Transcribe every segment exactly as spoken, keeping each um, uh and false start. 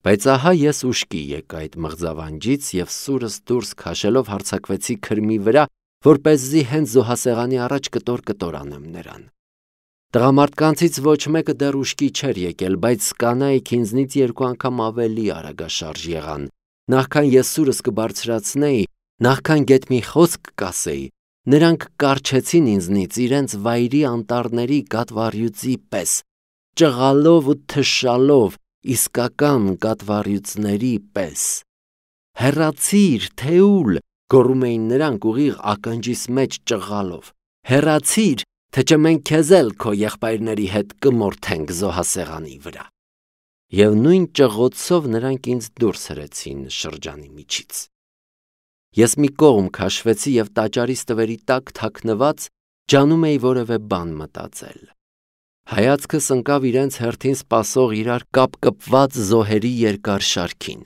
Բայց ահա ես ուշքի եկա այդ մղձավանջից և սուրս դուրս քաշելով հարձակվեցի քրմի վրա, որպեսզի հենց զոհասեղանի առաջ կտոր-կտոր անեմ նրան։ Տղամարդկանցից ոչ մեկը դեռ ուշքի չէր եկել, բայց կանայք ինձնից երկու անգամ ավելի արագաշարժ եղան, նախքան ես սուրս կբարձրացնեի, նախքան գեթ մի խոսք կասեի, նրանք կառչեցին ինձնից իրենց վայրի անտառների կատվառյուծի պես, ճղալով ու թշալով, իսկական կատվառյուծների պես։ «Հեռացիր, Թեուլ», գոռում էին նրանք ուղիղ ականջիս մեջ ճղալով, «հեռացիր, թե չէ մենք քեզ էլ քո եղբայրների հետ կմորթենք զոհասեղանի վրա»։ Եվ նույն ճղոցով նրանք ինձ դուրս հրեցին շրջանի միջից։ Ես մի կողմ քաշվեցի և տաճարի ստվերի տակ թաքնված ջանում էի որևէ բան մտածել։ Հայացքս ընկավ իրենց հերթին սպասող իրար կապկպված զոհերի երկար շարքին։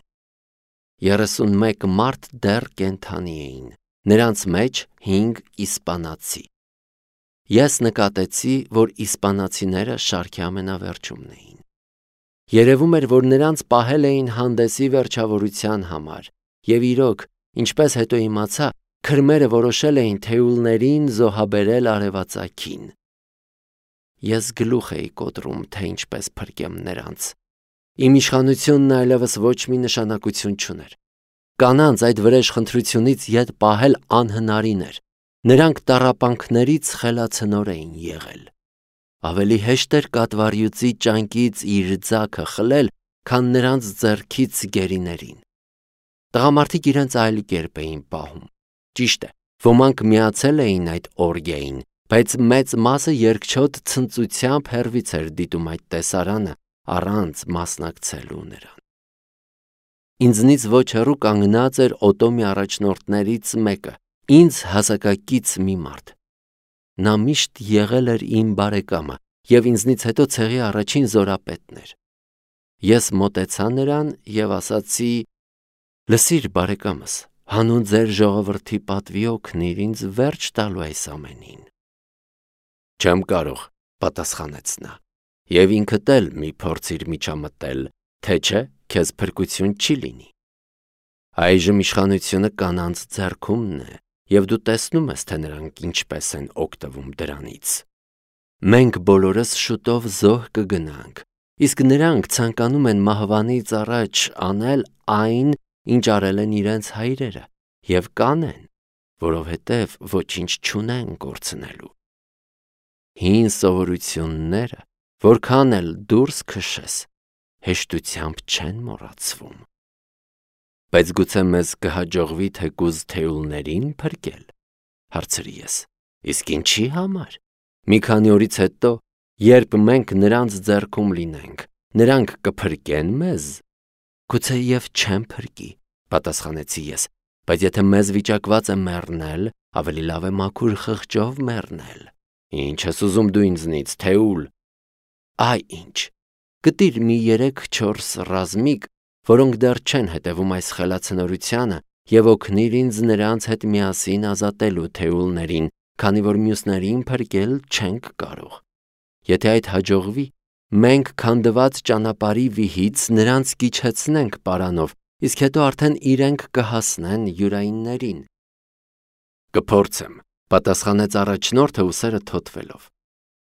Երեսունմեկ մարդ դեռ կենդանի էին, նրանց մեջ հինգ իսպանացի։ Ես նկատեցի, որ իսպանացիները շարքի ամենավերջումն էին։ Երևում էր, որ նրանց պահել էին հանդեսի վերջավորության համար, և իրոք, ինչպես հետո իմացա, քրմերը որոշել էին թեուլներին զոհաբերել արևածագին։ Ես գլուխ էի կոտրում, թե ինչպես փրկեմ նրանց։ Իմ իշխանությունն այլևս ոչ մի նշանակություն չուներ։ Կանանց այդ վրեժխնդրությունից ետ պահել անհնարին էր։ Նրանք տառապանքներից խելացնոր էին եղել։ Ավելի հեշտ էր կատվառյուծի ճանկից իր ձագը խլել, քան նրանց ձեռքից գերիներին։ Տղամարդիկ իրենց այլ կերպ էին պահում։ Ճիշտ է, ոմանք միացել էին այդ օրգիային, բայց մեծ մասը երկչոտ ցնծությամբ հեռվից էր դիտում այդ տեսարանը, առանց մասնակցելու նրան։ Ինձնից ոչ հեռու կանգնած էր օտոմի առաջնորդներից մեկը, ինձ հասակակից մի մարդ։ Նա միշտ եղել էր իմ բարեկամը և ինձնից հետո ցեղի առաջին զորապետն էր։ Ես մոտեցա նրան և ասացի. «Լսիր, բարեկամս, հանուն ձեր ժողովրդի պատվի օգնիր ինձ վերջ տալու այս ամենին»։ «Չեմ կարող», պատասխանեց նա, «և ինքդ էլ մի փորձիր միջամտել, թե չէ քեզ փրկություն չի լինի։ Այժմ իշխանությունը կանանց ձեռքումն է, և դու տեսնում ես, թե նրանք ինչպես են օգտվում դրանից։ Մենք բոլորս շուտով զոհ կգնանք, իսկ նրանք ցանկանում են մահվանից առաջ անել այն, ինչ արել են իրենց հայրերը, և կանեն, որովհետև ոչինչ չունեն կորցնելու։ Հին սովորությունները, որքան էլ դուրս քշես, հեշտությամբ չեն մոռացվում»։ «Բայց գուցե մեզ կհաջողվի թեկուզ թեուլներին փրկել», հարցրի ես։ «Իսկ ինչի համար։ Մի քանի օրից հետո, երբ մենք նրանց ձեռքում լինենք, նրանք կփրկե՞ն մեզ»։ «Գուցեև չեն փրկի», պատասխանեցի ես, «բայց եթե մեզ վիճակված է մեռնել, ավելի լավ է մաքուր խղճով մեռնել»։ «Ինչ ես ուզում դու ինձնից, Թեուլ»։ «Այ ինչ, գտիր մի երեք-չորս ռազմիկ, որոնք դեռ չեն հետևում այս խելացնորությանը, և օգնիր ինձ նրանց հետ միասին ազատելու թեուլներին, քանի որ մյուսներին փրկել չենք կարող։ Եթե այդ հաջողվի, մենք քանդված ճանապարհի վիհից նրանց կիջեցնենք պարանով, իսկ հետո արդեն իրենք կհասնեն յուրայիններին»։ «Կփորձեմ», պատասխանեց առաջնորդը ուսերը թոթվելով,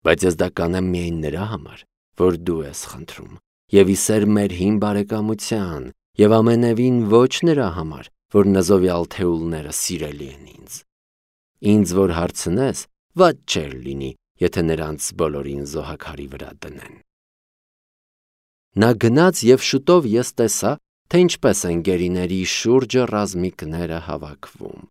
«բայց ես դա կանեմ միայն նրա համար, որ դու ես խնդրում, և ի սեր մեր հին բարեկամության, և ամենևին ոչ նրա համար, որ նզովյալ թեուլները սիրելի են ինձ։ Ինձ որ հարցնես, վատ չէր լինի, եթե նրանց բոլորին զոհաքարի վրա դնեն»։ Նա գնաց և շուտով ես տեսա, թե ինչպես են գերիների շուրջը ռազմիկները հավաքվում։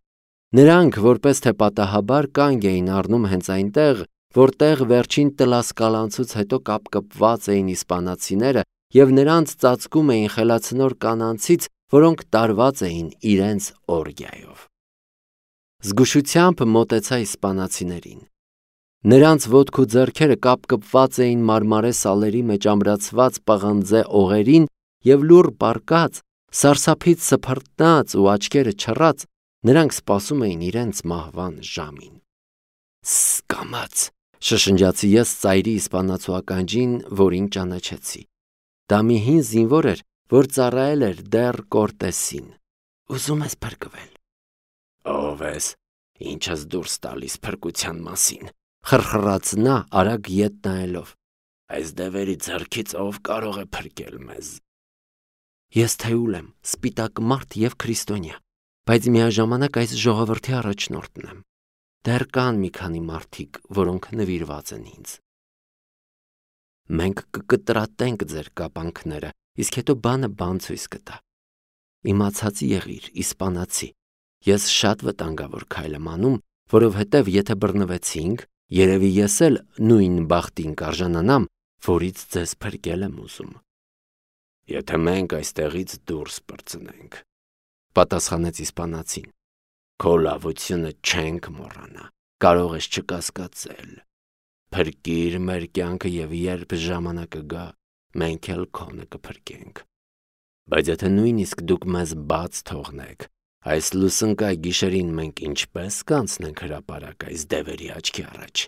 Նրանք, որպես թե պատահաբար, կանգ էին առնում հենց այնտեղ, որտեղ վերջին տլասկալանցուց հետո կապկպված էին իսպանացիները և նրանց ծածկում էին խելացնոր կանանցից, որոնք տարված էին իրենց օրգիայով։ Զգուշությամբ մոտեցա իսպանացիներին։ Նրանց ոտք ու ձեռքերը կապկպված էին մարմարե սալերի մեջ ամրացված պղնձե օղերին և լուռ պառկած, սարսափից սփռտնած ու աչքերը չռած, նրանք սպասում էին իրենց մահվան ժամին։ «Ս֊ս֊կամաց», շշնջացի ես ծայրի իսպանացու ականջին, որին ճանաչեցի։ Դա մի հին զինվոր էր, որ ծառայել էր դեռ Կորտեսին։ Ուզում ես փրկվել։ Ով ես, ինչ ես դուրս տալիս փրկության մասին, խրխրաց նա արագ ետ նայելով։ Այս դևերի ձեռքից ով կարող է փրկել մեզ։ Ես Թեուլ եմ, սպիտակ մարդ եւ քրիստոնյա, բայց միաժամանակ այս ժողովրդի առաջնորդն եմ։ Դեռ կան մի քանի մարդիկ, որոնք նվիրված են ինձ։ Մենք կկտրատենք ձեր կապանքները, իսկ հետո բանը բան ցույց կտա։ Իմացած եղիր, իսպանացի, ես շատ վտանգավոր քայլ եմ անում, որովհետև եթե բռնվեցինք, երևի ես էլ նույն բախտին կարժանանամ, որից ձեզ փրկել եմ ուզում։ Եթե մենք այստեղից դուրս պրծնենք, պատասխանեց իսպանացին, քո լավությունը չենք մոռանա, կարող ես չկասկածել։ Փրկիր մեր կյանքը եւ երբ ժամանակը գա, մենք էլ քոնը կփրկենք։ Բայց եթե նույնիսկ դուք մեզ բաց թողնեք, այս լուսնկայ գիշերին մենք ինչպես կանցնենք հրապարակ այս դևերի աչքի առաջ։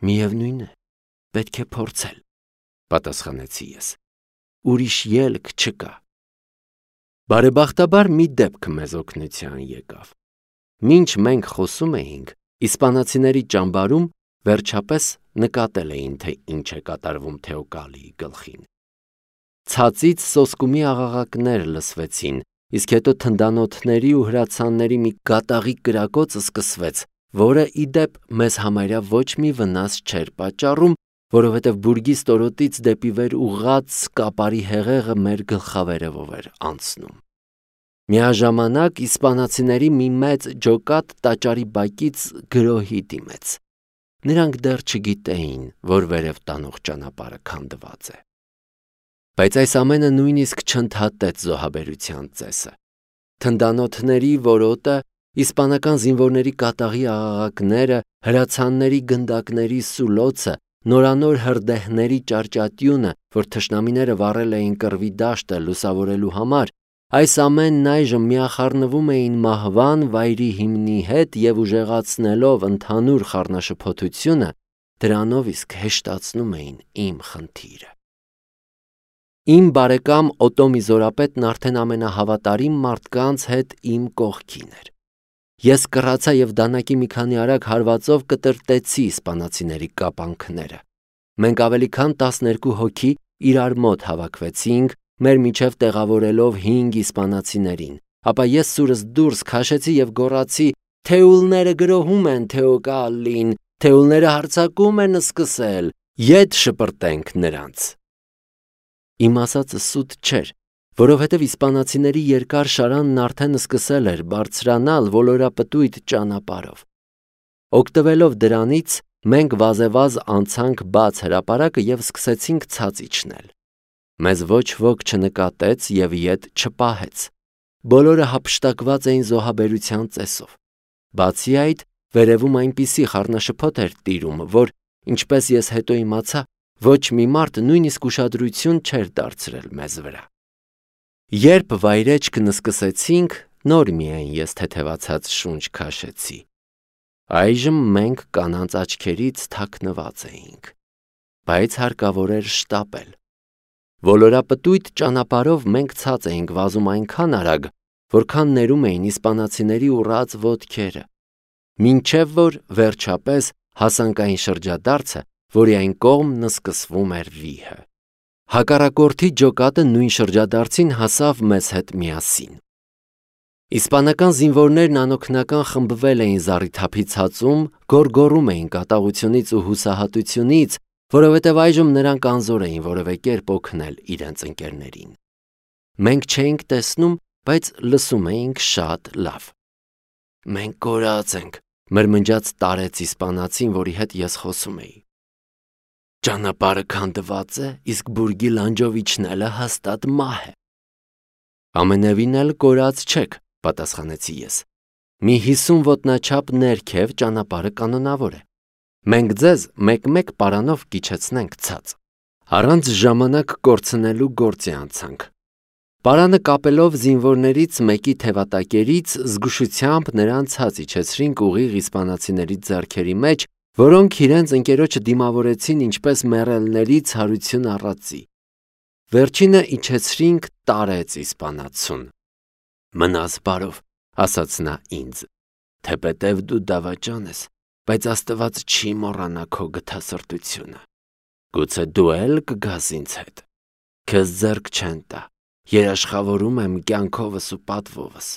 Միևնույն է, պետք է փորձել, պատասխանեցի ես։ Ուրիշ ելք չկա։ Բարեբախտաբար մի դեպք մեզ օգնության եկավ։ Մինչ մենք խոսում էինք, իսպանացիների ճամբարում վերջապես նկատել էին, թե ինչ է կատարվում Թեոկալիի գլխին։ Ցածից սոսկումի աղաղակներ լսվեցին, իսկ հետո թնդանոթների ու հրացանների մի կատաղի կրակոց սկսվեց, որը ի դեպ մեզ համարյա ոչ մի վնաս չէր պատճառում, որովհետև բուրգի ստորոտից դեպի վեր ուղղած կապարի հեղեղը մեր գլխավերևով էր անցնում։ Միաժամանակ իսպանացիների մի մեծ ջոկատ տաճարի բակից գրոհի դիմեց։ Նրանք դեռ չգիտեին, որ վերև տանող ճանապարհը քանդված է։ Բայց այս ամենը նույնիսկ չընդհատեց զոհաբերության ծեսը։ Թնդանոթների որոտը, իսպանական զինվորների կատաղի աղաղակները, հրացանների գնդակների սուլոցը, նորանոր հրդեհների ճարճատյունը, որ թշնամիները վառել էին կռվի դաշտը լուսավորելու համար, այս ամենն այժմ միախառնվում էին մահվան վայրի հիմնի հետ եւ ուժեղացնելով ընդհանուր խառնաշփոթությունը, դրանով իսկ հեշտացնում էին իմ խնդիրը։ Իմ բարեկամ Օտոմի զորապետն արդեն ամենահավատարիմ մարդկանց հետ իմ կողքին էր։ Ես կռացա եւ դանակի մի քանի արագ հարվածով կտրտեցի իսպանացիների կապանքները։ Մենք ավելի քան տասներկու հոգի իրար մոտ հավաքվեցինք, մեր միջև տեղավորելով հինգ իսպանացիներին, ապա ես սուրս դուրս քաշեցի եւ գոռացի. Թեուլները գրոհում են Թեոկալին, թեուլները հարձակում են սկսել, ետ շպրտենք նրանց։ Իմ ասածը սուտ չէր, որովհետև իսպանացիների երկար շարանն արդեն սկսել էր բարձրանալ ոլորապտույտ ճանապարհով։ Օգտվելով դրանից, մենք վազեվազ անցանք բաց հրապարակը եւ սկսեցինք ցած իջնել։ Մեզ ոչ ոք չնկատեց եւ ետ չպահեց։ Բոլորը հափշտակված էին զոհաբերության ծեսով։ Բացի այդ, վերևում այնպիսի խառնաշփոթ էր տիրում, որ, ինչպես ես հետո իմացա, ոչ մի մարդ նույնիսկ ուշադրություն չէր դարձրել մեզ վրա։ Երբ վայրեջքն սկսեցինք, նոր միայն ես թեթևացած շունչ քաշեցի։ Այժմ մենք կանանց աչքերից թաքնված էինք, բայց հարկավոր էր շտապել։ Ոլորապտույտ ճանապարհով մենք ցած էինք վազում այնքան արագ, որքան ներում էին իսպանացիների ուռած ոտքերը, մինչև որ վերջապես հասանք այն շրջադարձը, որի այն կողմն սկսվում էր վիհը։ Հակառակորդի ջոկատը նույն շրջադարձին հասավ մեզ հետ միասին։ Իսպանական զինվորներն անօգնական խմբվել էին զառիթափի ցածում, գոռգոռում էին կատաղությունից ու հուսահատությունից, որովհետև այժմ նրանք անզոր էին որևէ կերպ օգնել իրենց ընկերներին։ Մենք չէինք տեսնում, բայց լսում էինք շատ լավ։ Մենք կորած ենք, մրմնջաց տարեց իսպանացին, որի հետ ես խոսում էի։ Ճանապարհը քանդված է, իսկ բուրգի լանջովիչնելը հաստատ մահ է։ Ամենևին էլ կորած չեք, պատասխանեցի ես։ Մի հիսուն ոտնաչափ ներքև ճանապարհը կանոնավոր է։ Մենք ձեզ մեկ-մեկ պարանով կիչեցնենք ցած։ Առանց ժամանակ կորցնելու գործի անցանք։ Պարանը կապելով զինվորներից մեկի թևատակերից զգուշությամբ նրան ցած իջեցրինք ուղիղ իսպանացիների ձեռքերի մեջ, որոնք իրենց ընկերոջը դիմավորեցին ինչպես մեռելների ցարություն առածի։ Վերջինը իջեցրինք տարեց իսպանացուն։ Մնաս բարով, ասաց նա ինձ, թեպետև դու դավաճան ես, բայց Աստված չի մոռանա քո գթասրտությունը։ Գուցե դու էլ կգաս ինձ հետ։ Քեզ ձեռք չեն տա, երաշխավորում եմ կյանքովս ու պատվովս։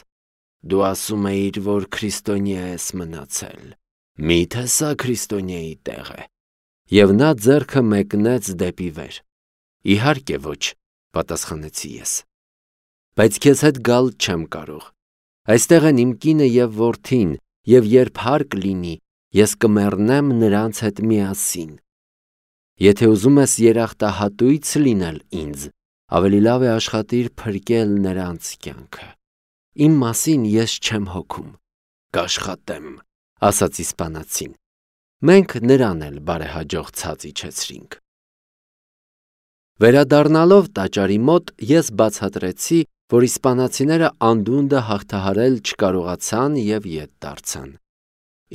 Դու ասում էիր, որ քրիստոնյա ես մնացել։ Միթե սա քրիստոնյայի տեղ է։ Եվ նա ձեռքը մեկնեց դեպի վեր։ Իհարկե ոչ, պատասխանեցի ես։ Բայց քեզ հետ գալ չեմ կարող։ Այստեղ են իմ կինը և որդին, և երբ հարկ լինի, ես կմեռնեմ նրանց հետ միասին։ Եթե ուզում ես երախտահատույց լինել ինձ, ավելի լավ է աշխատիր փրկել նրանց կյանքը։ Իմ մասին ես չեմ հոգում, կաշխատեմ, ասաց իսպանացին։ Մենք նրան էլ բարեհաջող ցած իջեցրինք։ Վերադառնալով տաճարի մոտ ես բացատրեցի, որ իսպանացիները անդունդը հաղթահարել չկարողացան և ետ դարձան։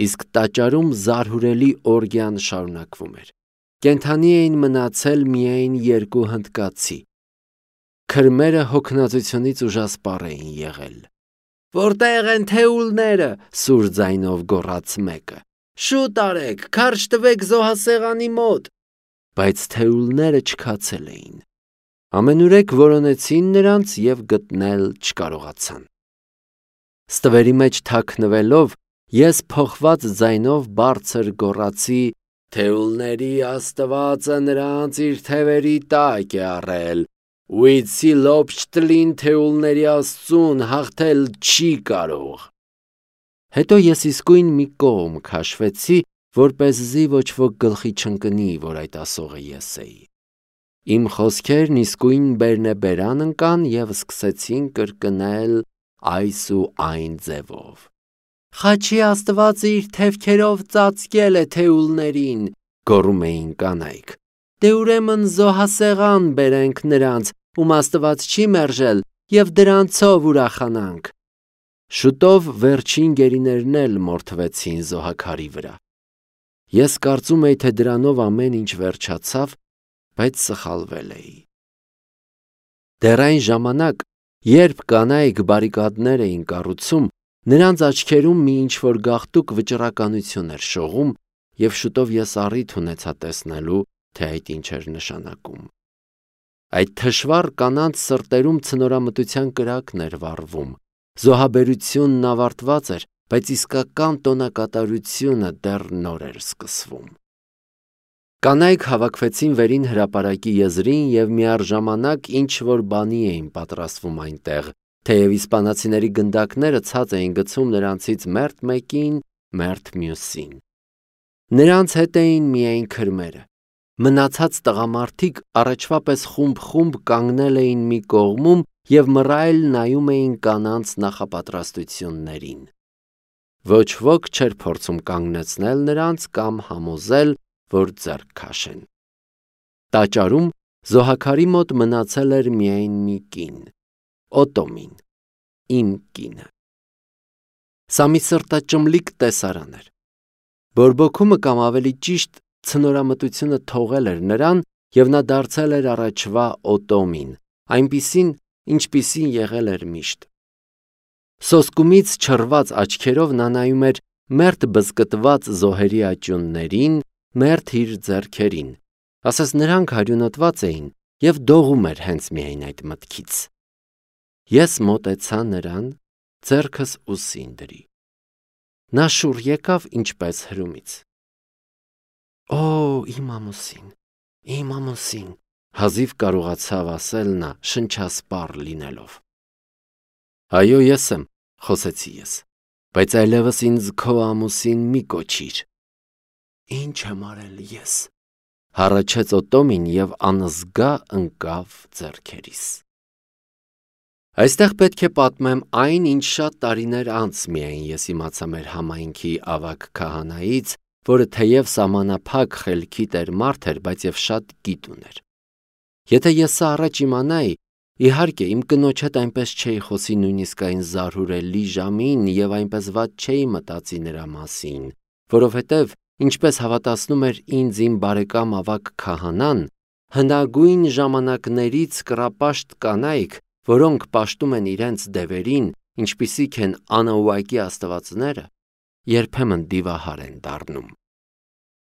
Իսկ տաճարում զարհուրելի օրգիան շարունակվում էր։ Կենդանի էին մնացել միայն երկու հնդկացի։ Քրմերը հոգնածությունից ուժասպառ էին եղել։ Որտե՞ղ են թեուլները, սուր ձայնով գոռաց մեկը։ Շուտ արեք, քարշ տվեք զոհասեղանի մոտ։ Բայց թեուլները չքացել էին։ Ամենուրեք որոնեցին նրանց և գտնել չկարողացան։ Ստվերի մեջ թաքնվելով, ես փոխված ձայնով բարձր գոռացի. Թեուլների Աստվածը նրանց իր թևերի տակ է առել։ Ուիցի լոբշտլին թեուլների Աստծուն հաղթել չի կարող։ Հետո ես իսկույն մի կողմ քաշվեցի, որպեսզի ոչ ոք գլխի չընկնի, որ այդ ասողը ես էի։ Իմ խոսքերն իսկույն բերնեբերան ընկան և սկսեցին կրկնել այս ու այն ձևով։ Խաչի Աստվածը իր թևքերով ծածկել է թեուլներին, գոռում էին կանայք։ Դե ուրեմն զոհասեղան բերենք նրանց, ում Աստված չի մերժել, և դրանցով ուրախանանք։ Շուտով վերջին գերիներն էլ մորթվեցին զոհաքարի վրա։ Ես կարծում էի, թե դրանով ամեն ինչ վերջացավ, բայց սխալվել էի։ Դեռ այն ժամանակ, երբ կանայք բարիկադներ էին կառուցում, նրանց աչքերում մի ինչ-որ գաղտուկ վճռականություն էր շողում, և շուտով ես առիթ ունեցա տեսնելու, թե այդ ինչ էր նշանակում։ Այդ թշվառ կանանց սրտերում ցնորամտության կրակն էր վառվում, զոհաբերությունն ավարտված էր, բայց իսկական տոնակատարությունը դեռ նոր էր սկսվում։ Կանայք հավաքվեցին վերին հրապարակի եզրին և միառժամանակ ինչ-որ բանի էին պատրաստվում այնտեղ, թեև իսպանացիների գնդակները ցած էին գցում նրանցից մերթ մեկին, մերթ մյուսին։ Նրանց հետ էին միայն քրմերը։ Մնացած տղամարդիկ առաջվա պես խումբ-խումբ կանգնել էին մի կողմում և մռայլ նայում էին կանանց նախապատրաստություններին։ Ոչ ոք չէր փորձում կանգնեցնել նրանց կամ համոզել, որ ձեռք քաշեն։ Տաճարում զոհաքարի մոտ մնացել էր միայն մի կին, Օտոմին, իմ կինը։ Սա մի սրտաճմլիկ տեսարան էր։ Բորբոքումը կամ ավելի ճիշտ ցնորամտությունը թողել էր նրան, և նա դարձել էր առաջվա Օտոմին, այնպիսին, ինչպիսին եղել էր միշտ։ Սոսկումից չռված աչքերով նա նայում էր մերթ բզկտված զոհերի աճյուններին, մերթ իր ձեռքերին, ասես նրանք հարյունոտված էին, և դողում էր հենց միայն այդ մտքից։ Ես մոտեցա նրան, ձեռքս ուսին դրի։ Նա շուռ եկավ ինչպես հրումից։ Օ, իմ ամուսին, իմ ամուսին, հազիվ կարողացավ ասել նա, շնչասպառ լինելով։ Այո, ես եմ, խոսեցի ես, բայց այլևս ինձ քո ամուսին մի կոչիր։ Ինչ եմ արել ես, հառաչեց Օտոմին և անզգա ընկավ ձեռքերիս։ Այստեղ պետք է պատմեմ այն, ինչ շատ տարիներ անց միայն ես իմացա մեր համայնքի ավագ քահանայից, որը թեև սահմանափակ խելքի տեր մարդ էր, բայց և շատ գիտ ուներ։ Եթե ես սա առաջ իմանայի, իհարկե իմ կնոջ հետ այնպես չէի խոսի նույնիսկ այն զարհուրելի ժամին և այնպես վատ չէի մտածի նրա մասին, որովհետև, ինչպես հավատացնում էր ինձ իմ բարեկամ ավագ քահանան, հնագույն ժամանակներից կռապաշտ կանայք, որոնք պաշտում են իրենց դևերին, ինչպիսիք են անուղակի աստվածները, երբեմն դիվահար են դառնում։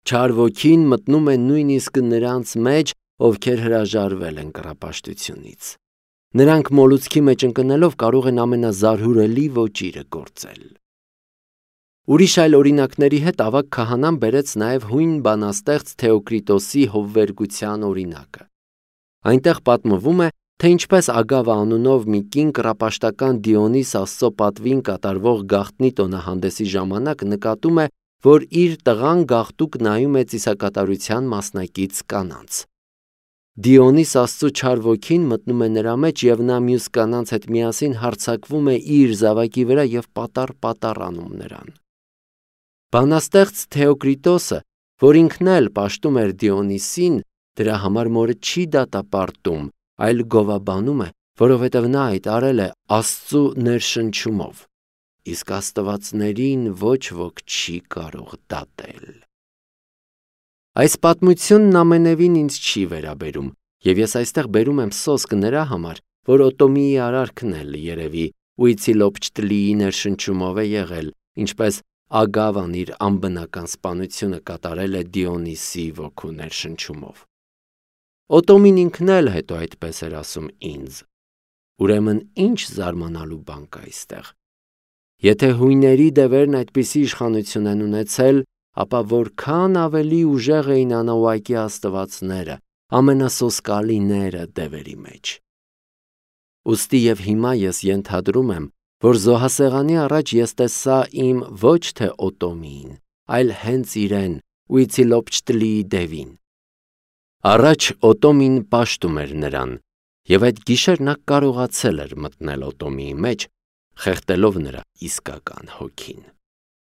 Չար ոգին մտնում է նույնիսկ նրանց մեջ, ովքեր հրաժարվել են կռապաշտությունից։ Նրանք մոլուցքի մեջ ընկնելով կարող են ամենազարհուրելի ոճիրը գործել։ Ուրիշ այլ օրինակների հետ ավագ քահանան բերեց նաև հույն բանաստեղծ Թեոկրիտոսի հովվերգության օրինակը։ Այնտեղ պատմվում է, թե ինչպես Ագավը անունով մի կին կռապաշտական Դիոնիս Աստծո պատվին կատարվող գաղտնի տոնահանդեսի ժամանակ նկատում է, որ իր տղան գաղտուկ նայում է ծիսակատարության մասնակից կանանց։ Դիոնիս Աստծո չար ոգին մտնում է նրա մեջ և նա մյուս կանանց հետ միասին հարձակվում է իր զավակի վրա և պատառ-պատառ անում նրան։ Բանաստեղծ Թեոկրիտոսը, որ ինքն էլ պաշտում էր Դիոնիսին, դրա համար մորը չի դատապարտում, այլ գովաբանում է, որովհետև նա այդ արել է Աստծու ներշնչումով, իսկ աստվածներին ոչ ոք չի կարող դատել։ Այս պատմությունն ամենևին ինձ չի վերաբերում, և ես այստեղ բերում եմ սոսկ նրա համար, որ Օտոմիի արարքն էլ երևի Ուիցիլոպչտլիի ներշնչումով է եղել, ինչպես Ագավան իր անբնական սպանությունը կատարել է Դիոնիսի ոգու ներշնչումով։ Օտոմին ինքն էլ հետո այդպես էր ասում ինձ։ Ուրեմն ինչ զարմանալու բան կա այստեղ։ Եթե հույների դևերն այդպիսի իշխանություն են ունեցել, ապա որքան ավելի ուժեղ էին անուղակի աստվածները, ամենասոսկալիները դևերի մեջ։ Ուստի և հիմա ես ենթադրում եմ, որ զոհասեղանի առաջ ես տեսա իմ ոչ թե Օտոմիին, այլ հենց իրեն, Ուիցիլոպչտլիի դևին։ Առաջ Օտոմին պաշտում էր նրան, և այդ գիշեր նա կարողացել էր մտնել Օտոմիի մեջ, խեղդելով նրա իսկական հոգին։